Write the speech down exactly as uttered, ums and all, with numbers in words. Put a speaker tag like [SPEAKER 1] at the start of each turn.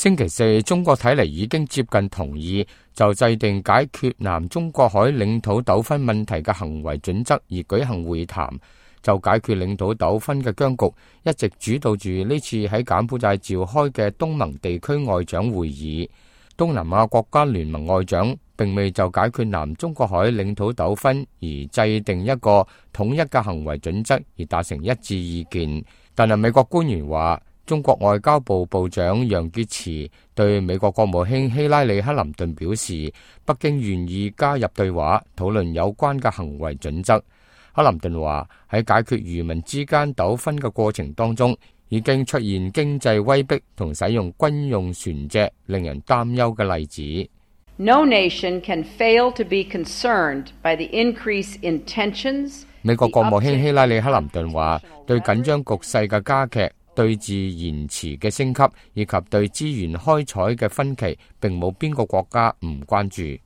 [SPEAKER 1] 星期四，中國睇嚟已經接近同意就制定解決南中國海領土糾紛問題嘅行為準則而舉行會談。就解決領土糾紛嘅僵局，一直主導住呢次喺柬埔寨召開嘅東盟地區外長會議。東南亞國家聯盟外長並未就解決南中國海領土糾紛而制定一個統一嘅行為準則而達成一致意見。但係美國官員話，中國外交部部長楊潔篪對美國國務卿希拉里克林頓表示，北京願意加入對話，討論有關嘅行為準則。克林頓話，喺解決漁民之間糾紛嘅過程當中，已經出現經濟威逼同使用軍用船隻令人擔憂嘅例子。
[SPEAKER 2] No nation can fail to be concerned by the increase in tensions.
[SPEAKER 1] 美國國務卿希拉里克林頓話，對緊張局勢嘅加劇、對峙延遲嘅升級以及對資源開採嘅分歧，並冇邊個國家唔關注。